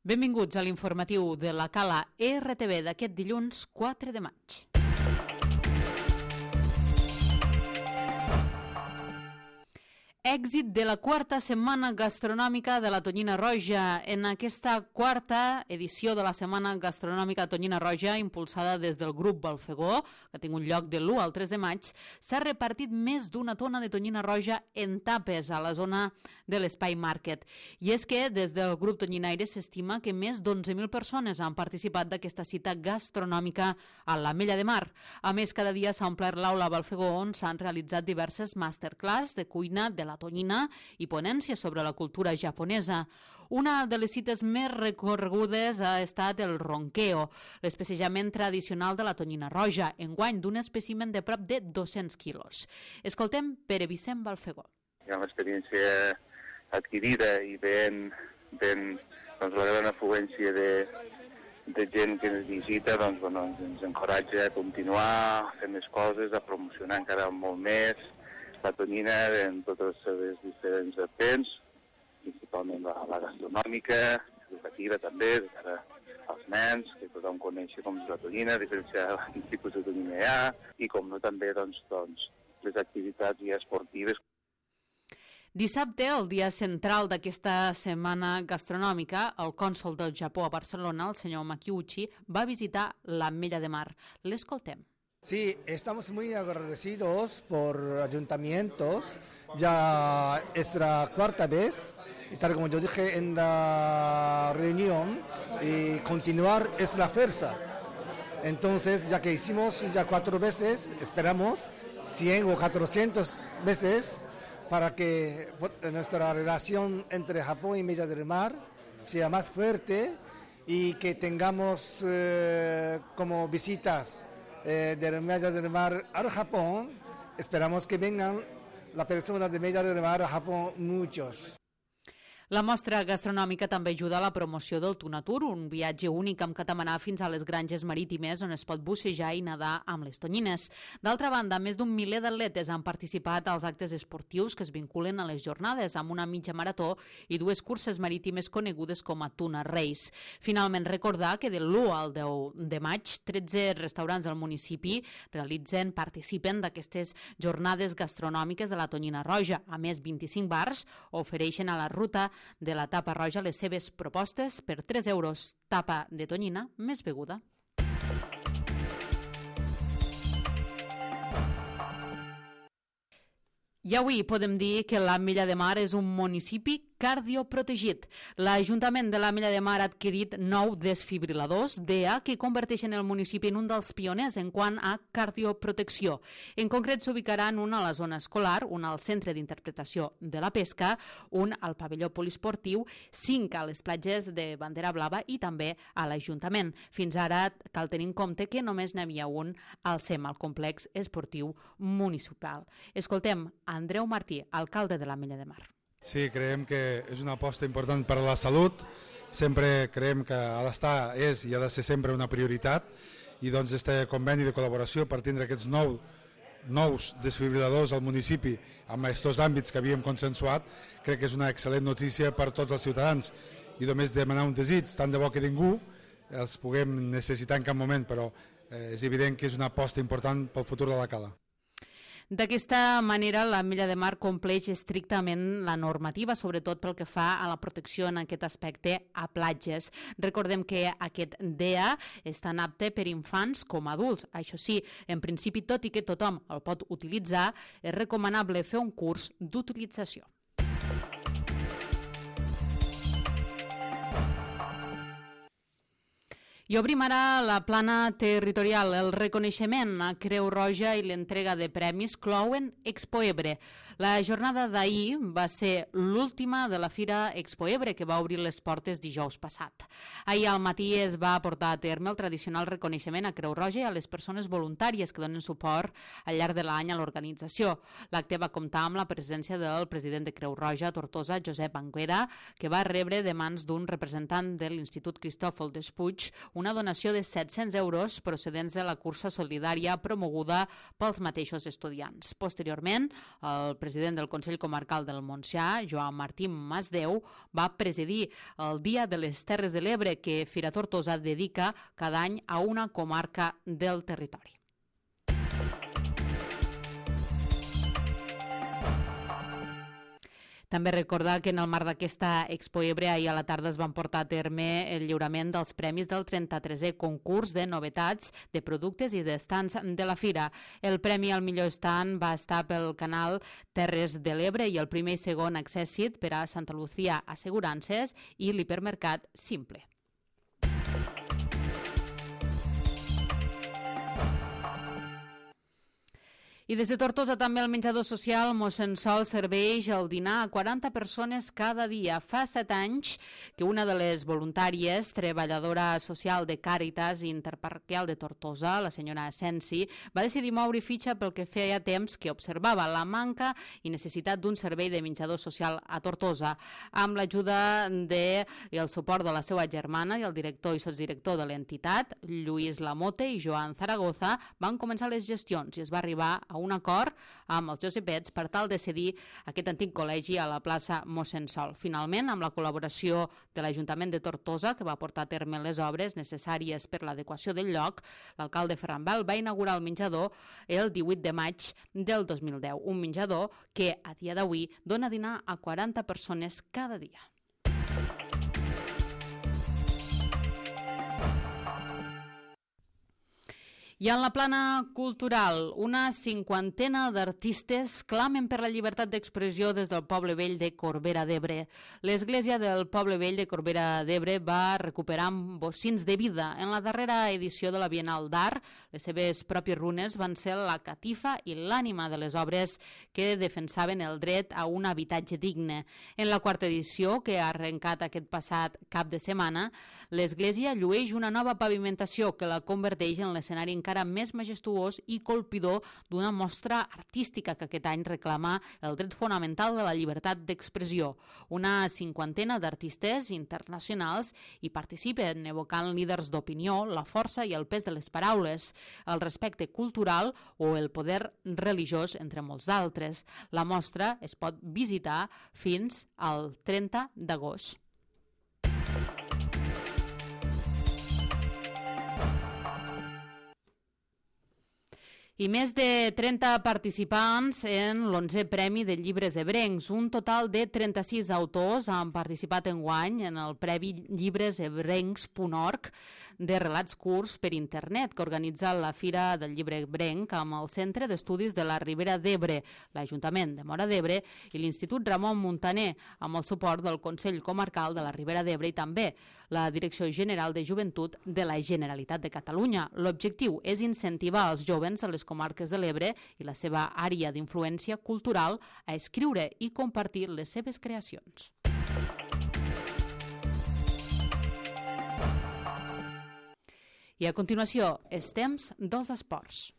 Benvinguts a l'informatiu de la Cala RTV d'aquest dilluns 4 de maig. Èxit de la quarta setmana gastronòmica de la Tonyina Roja. En aquesta quarta edició de la setmana gastronòmica Tonyina Roja, impulsada des del grup Balfegó, que ha tingut lloc de l'1 al 3 de maig, s'ha repartit més d'una tona de tonyina roja en tapes a la zona de l'Espai Market. I és que des del grup Tonyinaire s'estima que més d'11.000 persones han participat d'aquesta cita gastronòmica a l'Ametlla de Mar. A més, cada dia s'ha omplert l'aula Balfegó, on s'han realitzat diverses masterclass de cuina de la tonyina i ponències sobre la cultura japonesa. Una de les cites més recorregudes ha estat el ronqueo, l'especejament tradicional de la tonyina roja, enguany d'un espècimen de prop de 200 quilos. Escoltem Pere Vicent Balfegó. Hi ha una experiència adquirida i la gran afluència de gent que ens visita ens encoratja a continuar, a fer més coses, a promocionar encara molt més la tonyina en totes les seves diferents vents, principalment la gastronòmica, educativa també, de cara als nens, que tothom coneixi com és la tonyina, diferents tipus de tonyina hi ha, i com no també les activitats ja esportives. Dissabte, el dia central d'aquesta setmana gastronòmica, el cònsol del Japó a Barcelona, el senyor Makiuchi, va visitar l'Ametlla de Mar. L'escoltem. Sí, estamos muy agradecidos por ayuntamientos, ya es la cuarta vez, y tal como yo dije en la reunión, y continuar es la fuerza. Entonces, ya que hicimos ya 4 veces, esperamos 100 o 400 veces para que nuestra relación entre Japón y Ametlla del Mar sea más fuerte y que tengamos como visitas de Ametlla del Mar al Japón. Esperamos que vengan las personas de Ametlla del Mar a Japón muchos. La mostra gastronòmica també ajuda a la promoció del Tunatur, un viatge únic amb catamarar fins a les granges marítimes on es pot bussejar i nedar amb les tonyines. D'altra banda, més d'un miler d'atletes han participat als actes esportius que es vinculen a les jornades, amb una mitja marató i 2 curses marítimes conegudes com a Tuna Race. Finalment, recordar que de l'1 al 10 de maig, 13 restaurants del municipi participen d'aquestes jornades gastronòmiques de la tonyina roja. A més, 25 bars ofereixen a la ruta de la tapa roja les seves propostes per 3 euros, tapa de tonyina més beguda. I avui podem dir que l'Ametlla de Mar és un municipi cardioprotegit. L'Ajuntament de l'Ametlla de Mar ha adquirit 9 desfibriladors DEA que converteixen el municipi en un dels pioners en quant a cardioprotecció. En concret, s'ubicaran un a la zona escolar, un al centre d'interpretació de la pesca, un al pavelló poliesportiu, 5 a les platges de Bandera Blava i també a l'Ajuntament. Fins ara cal tenir en compte que només n'hi havia un al CEM, al complex esportiu municipal. Escoltem Andreu Martí, alcalde de l'Ametlla de Mar. Sí, creiem que és una aposta important per a la salut, sempre creiem que ha d'estar, és i ha de ser sempre una prioritat, i doncs este conveni de col·laboració per tindre aquests nous desfibriladors al municipi amb aquests àmbits que havíem consensuat, crec que és una excel·lent notícia per tots els ciutadans, i només demanar un desig, tant de bo que ningú els puguem necessitar en cap moment, però és evident que és una aposta important pel futur de la Cala. D'aquesta manera, l'Ametlla de Mar compleix estrictament la normativa, sobretot pel que fa a la protecció en aquest aspecte a platges. Recordem que aquest DEA és tan apte per infants com adults. Això sí, en principi, tot i que tothom el pot utilitzar, és recomanable fer un curs d'utilització. I obrim ara la plana territorial. El reconeixement a Creu Roja i l'entrega de premis clouen Expo Ebre. La jornada d'ahir va ser l'última de la Fira Expo Ebre, que va obrir les portes dijous passat. Ahir al matí es va portar a terme el tradicional reconeixement a Creu Roja i a les persones voluntàries que donen suport al llarg de l'any a l'organització. L'acte va comptar amb la presència del president de Creu Roja a Tortosa, Josep Anguera, que va rebre de mans d'un representant de l'Institut Cristòfol Despuig una donació de 700 euros procedents de la cursa solidària promoguda pels mateixos estudiants. Posteriorment, el president del Consell Comarcal del Montsià, Joan Martí Masdeu, va presidir el Dia de les Terres de l'Ebre que Fira Tortosa dedica cada any a una comarca del territori. També recordar que en el marc d'aquesta Expo Ebre ahir a la tarda es van portar a terme el lliurament dels premis del 33è concurs de novetats de productes i d'estants de la fira. El premi al millor estand va estar pel canal Terres de l'Ebre i el primer i segon accèssit per a Santa Lucía Assegurances i l'hipermercat Simple. I des de Tortosa també el menjador social Mossèn Sol serveix el dinar a 40 persones cada dia. Fa 7 anys que una de les voluntàries, treballadora social de Càritas Interparroquial de Tortosa, la senyora Sensi, va decidir moure fitxa pel que feia temps que observava la manca i necessitat d'un servei de menjador social a Tortosa. Amb l'ajuda i el suport de la seva germana i el director i sotsdirector de l'entitat, Lluís Lamote i Joan Zaragoza, van començar les gestions i es va arribar a un acord amb els Josepets per tal de cedir aquest antic col·legi a la plaça Mossèn Sol. Finalment, amb la col·laboració de l'Ajuntament de Tortosa, que va portar a terme les obres necessàries per l'adequació del lloc, l'alcalde Ferran Bel va inaugurar el menjador el 18 de maig del 2010. Un menjador que, a dia d'avui, dona dinar a 40 persones cada dia. I en la plana cultural, una 50ena d'artistes clamen per la llibertat d'expressió des del Poble Vell de Corbera d'Ebre. L'Església del Poble Vell de Corbera d'Ebre va recuperar bocins de vida. En la darrera edició de la Bienal d'Art, les seves pròpies runes van ser la catifa i l'ànima de les obres que defensaven el dret a un habitatge digne. En la quarta edició, que ha arrencat aquest passat cap de setmana, l'Església llueix una nova pavimentació que la converteix en l'escenari encara més majestuós i colpidor d'una mostra artística que aquest any reclama el dret fonamental de la llibertat d'expressió. Una 50ena d'artistes internacionals hi participen, evocant líders d'opinió, la força i el pes de les paraules, el respecte cultural o el poder religiós, entre molts d'altres. La mostra es pot visitar fins al 30 d'agost. I més de 30 participants en l'11è Premi de Llibres Ebrencs. Un total de 36 autors han participat enguany en el Premi llibresebrencs.org de relats curts per internet que organitza la Fira del Llibre Ebrenc amb el Centre d'Estudis de la Ribera d'Ebre, l'Ajuntament de Móra d'Ebre i l'Institut Ramon Muntaner, amb el suport del Consell Comarcal de la Ribera d'Ebre i també la Direcció General de Joventut de la Generalitat de Catalunya. L'objectiu és incentivar els jovens de les comarques de l'Ebre i la seva àrea d'influència cultural a escriure i compartir les seves creacions. I a continuació, és temps dels esports.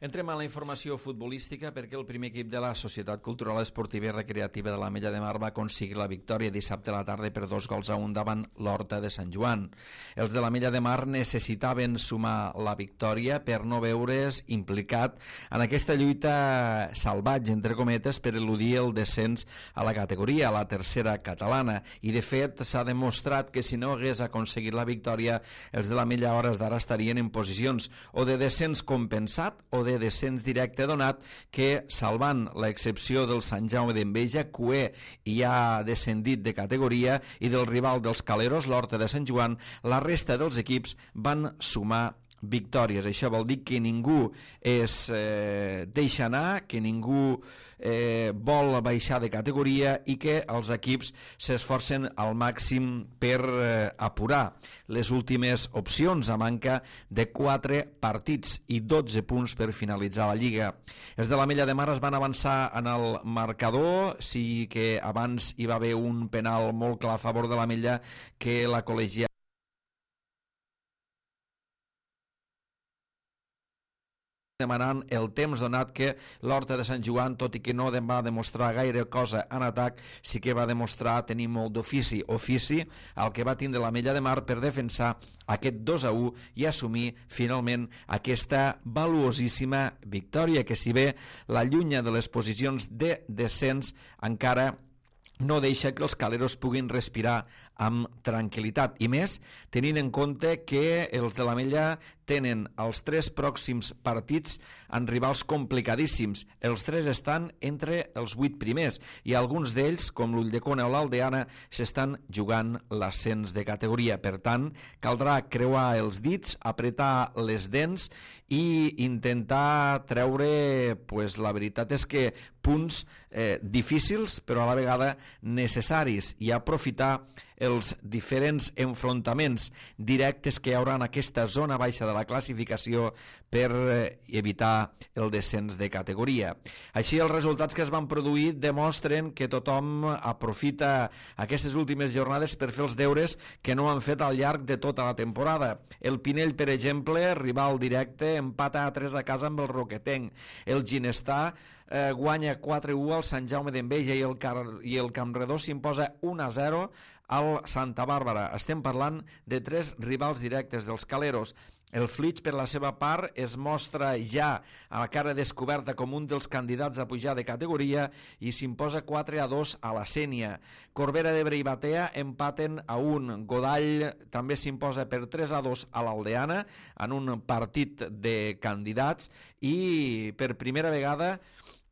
Entrem a la informació futbolística perquè el primer equip de la Societat Cultural Esportiva i Recreativa de l'Ametlla de Mar va aconseguir la victòria dissabte a la tarda per 2-1 davant l'Horta de Sant Joan. Els de l'Ametlla de Mar necessitaven sumar la victòria per no veure's implicat en aquesta lluita salvatge, entre cometes, per eludir el descens a la categoria, a la tercera catalana. I de fet s'ha demostrat que si no hagués aconseguit la victòria, els de l'Ametlla a hores d'ara estarien en posicions o de descens compensat o de descens directe donat que, salvant l'excepció del Sant Jaume d'Enveja, Cué ja ha descendit de categoria i del rival dels Caleros, l'Horta de Sant Joan, la resta dels equips van sumar victòries. Això vol dir que ningú es deixa anar, que ningú vol baixar de categoria i que els equips s'esforcen al màxim per apurar les últimes opcions a manca de 4 partits i 12 punts per finalitzar la Lliga. Els de l'Ametlla de Mar es van avançar en el marcador, sí que abans hi va haver un penal molt clar a favor de l'Ametlla que la col·legiata demanant el temps, donat que l'Horta de Sant Joan, tot i que no va demostrar gaire cosa en atac, sí que va demostrar tenir molt d'ofici al que va tindre l'Ametlla de Mar per defensar aquest 2-1 i assumir finalment aquesta valuosíssima victòria, que si bé l'allunya de les posicions de descens, encara no deixa que els caleros puguin respirar amb tranquil·litat, i més tenint en compte que els de l'Ametlla tenen els 3 pròxims partits en rivals complicadíssims. Els 3 estan entre els 8 primers i alguns d'ells, com l'Ulldecona o l'Aldeana, s'estan jugant l'ascens de categoria. Per tant, caldrà creuar els dits, apretar les dents i intentar treure, la veritat és que punts difícils però a la vegada necessaris, i aprofitar els diferents enfrontaments directes que hi haurà en aquesta zona baixa de la classificació per evitar el descens de categoria. Així, els resultats que es van produir demostren que tothom aprofita aquestes últimes jornades per fer els deures que no han fet al llarg de tota la temporada. El Pinell, per exemple, rival directe, empata a 3 a casa amb el Roquetenc. El Ginestà guanya 4-1 al Sant Jaume d'Enveja i el Campredó s'imposa 1-0 al Santa Bàrbara. Estem parlant de 3 rivals directes dels caleros. El Flix, per la seva part, es mostra ja a la cara descoberta com un dels candidats a pujar de categoria i s'imposa 4-2 a la Sénia. Corbera d'Ebre i Batea empaten a 1. Godall també s'imposa per 3-2 a l'Aldeana en un partit de candidats i per primera vegada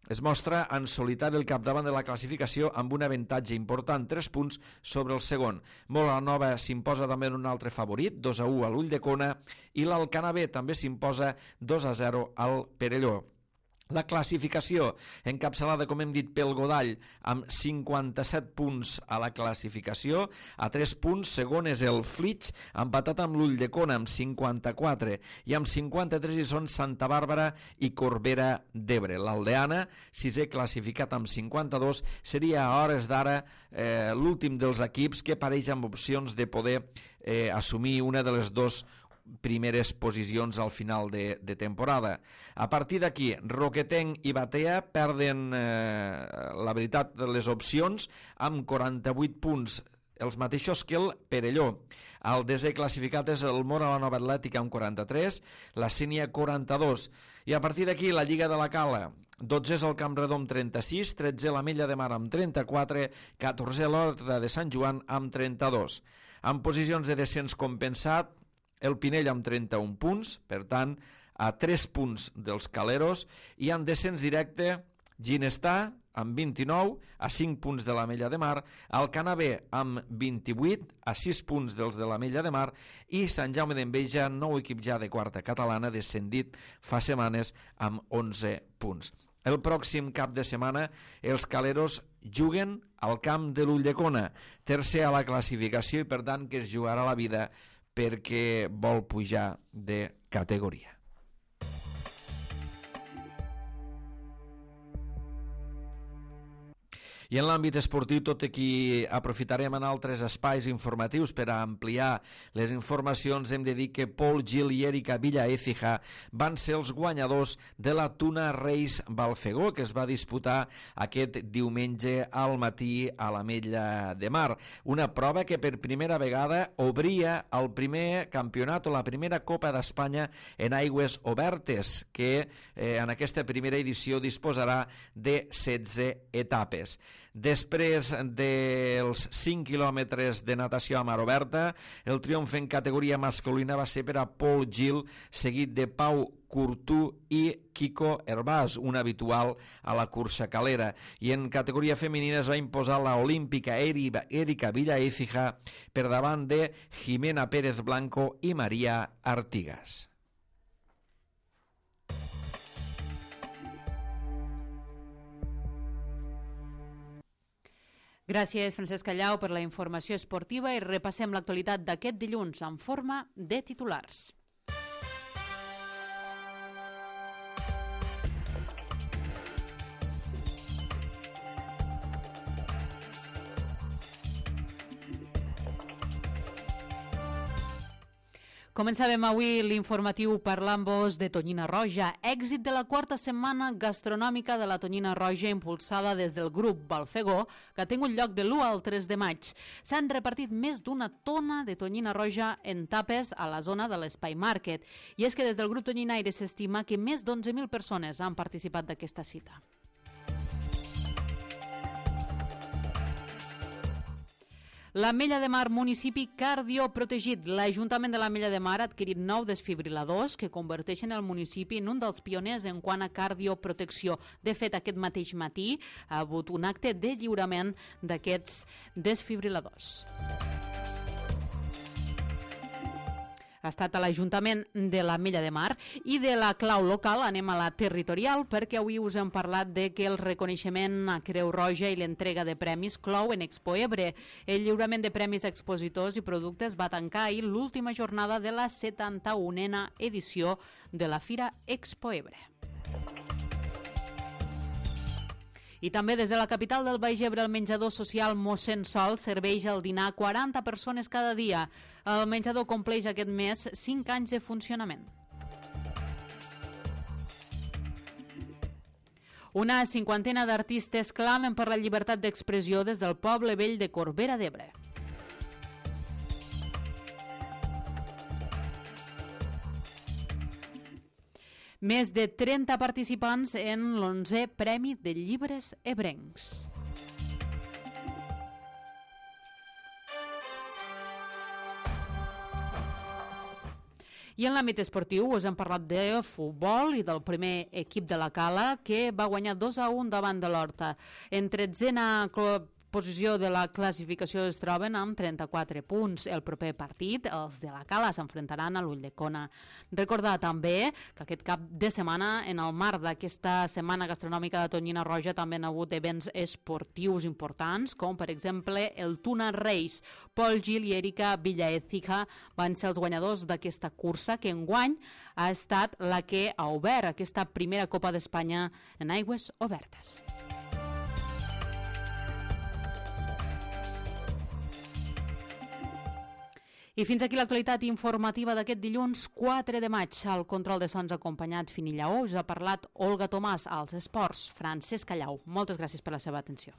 es mostra en solitari el capdavant de la classificació amb un avantatge important, 3 punts sobre el segon. Mola Nova s'imposa també en un altre favorit, 2-1 a l'Ulldecona, i l'Alcana B també s'imposa 2-0 al Perelló. La classificació, encapçalada, com hem dit, pel Godall, amb 57 punts a la classificació. A 3 punts, segon és el Flix, empatat amb l'Ulldecona amb 54, i amb 53 hi són Santa Bàrbara i Corbera d'Ebre. L'Aldeana, sisè classificat amb 52, seria a hores d'ara l'últim dels equips que apareix amb opcions de poder assumir una de les 2 primeres posicions al final de temporada. A partir d'aquí, Roquetenc i Batea perden, la veritat, les opcions amb 48 punts, els mateixos que el Perelló. El desè classificat és el Mora la Nova Atlètica amb 43, la Sénia 42, i a partir d'aquí la Lliga de la Cala. 12 és el Campredó amb 36, 13 l'Ametlla de Mar amb 34, 14 l'Horta de Sant Joan amb 32. En posicions de descens compensat, el Pinell amb 31 punts, per tant, a 3 punts dels caleros, i en descens directe, Ginestà amb 29, a 5 punts de l'Ametlla de Mar, Alcana B amb 28, a 6 punts dels de l'Ametlla de Mar, i Sant Jaume d'Enveja, nou equip ja de quarta catalana, descendit fa setmanes amb 11 punts. El pròxim cap de setmana els caleros juguen al camp de l'Ulldecona, tercer a la classificació, i per tant que es jugarà la vida perquè vol pujar de categoria. I en l'àmbit esportiu, tot i que aprofitarem en altres espais informatius per a ampliar les informacions, hem de dir que Pol Gil i Erika Villaécija van ser els guanyadors de la Tuna Reis Balfegó, que es va disputar aquest diumenge al matí a l'Ametlla de Mar. Una prova que per primera vegada obria el primer campionat o la primera Copa d'Espanya en aigües obertes, que en aquesta primera edició disposarà de 16 etapes. Després dels 5 quilòmetres de natació a mar oberta, el triomf en categoria masculina va ser per a Pol Gil, seguit de Pau Curtú i Kiko Herbàs, un habitual a la cursa calera. I en categoria femenina es va imposar la olímpica Erika Villaécija per davant de Jimena Pérez Blanco i Maria Artigas. Gràcies, Francesc Callau, per la informació esportiva, i repassem l'actualitat d'aquest dilluns en forma de titulars. Començàvem avui l'informatiu parlant-vos de Tonyina Roja, èxit de la quarta setmana gastronòmica de la Tonyina Roja impulsada des del grup Balfegó, que ha tingut lloc de l'1 al 3 de maig. S'han repartit més d'una tona de Tonyina Roja en tapes a la zona de l'Espai Market. I és que des del grup Tonyinaire s'estima que més d'11.000 persones han participat d'aquesta cita. L'Ametlla de Mar, municipi cardioprotegit. L'Ajuntament de l'Ametlla de Mar ha adquirit 9 desfibriladors que converteixen el municipi en un dels pioners en quant a cardioprotecció. De fet, aquest mateix matí ha hagut un acte de lliurament d'aquests desfibriladors. Ha estat a l'Ajuntament de l'Ametlla de Mar. I de la clau local anem a la territorial, perquè avui us hem parlat de que el reconeixement a Creu Roja i l'entrega de premis clou en Expo Ebre. El lliurament de premis a expositors i productes va tancar ahir l'última jornada de la 71a edició de la Fira Expo Ebre. I també des de la capital del Baix Ebre, el menjador social Mossèn Sol serveix el dinar a 40 persones cada dia. El menjador compleix aquest mes 5 anys de funcionament. Una 50ena d'artistes clamen per la llibertat d'expressió des del poble vell de Corbera d'Ebre. Més de 30 participants en l'11è Premi de Llibres Ebrencs. I en l'àmbit esportiu us hem parlat de futbol i del primer equip de la Cala, que va guanyar 2-1 davant de l'Horta. En 13a posició de la classificació es troben amb 34 punts. El proper partit, els de la Cala s'enfrontaran a l'Ulldecona. Recordar també que aquest cap de setmana, en el marc d'aquesta setmana gastronòmica de Tonyina Roja, també han hagut events esportius importants, com per exemple el Tuna Race. Pol Gil i Erika Villaécija van ser els guanyadors d'aquesta cursa, que enguany ha estat la que ha obert aquesta primera Copa d'Espanya en aigües obertes. I fins aquí l'actualitat informativa d'aquest dilluns 4 de maig. Al control de sons acompanyat Fini Lleó us ha parlat Olga Tomàs, als esports Francesc Callau. Moltes gràcies per la seva atenció.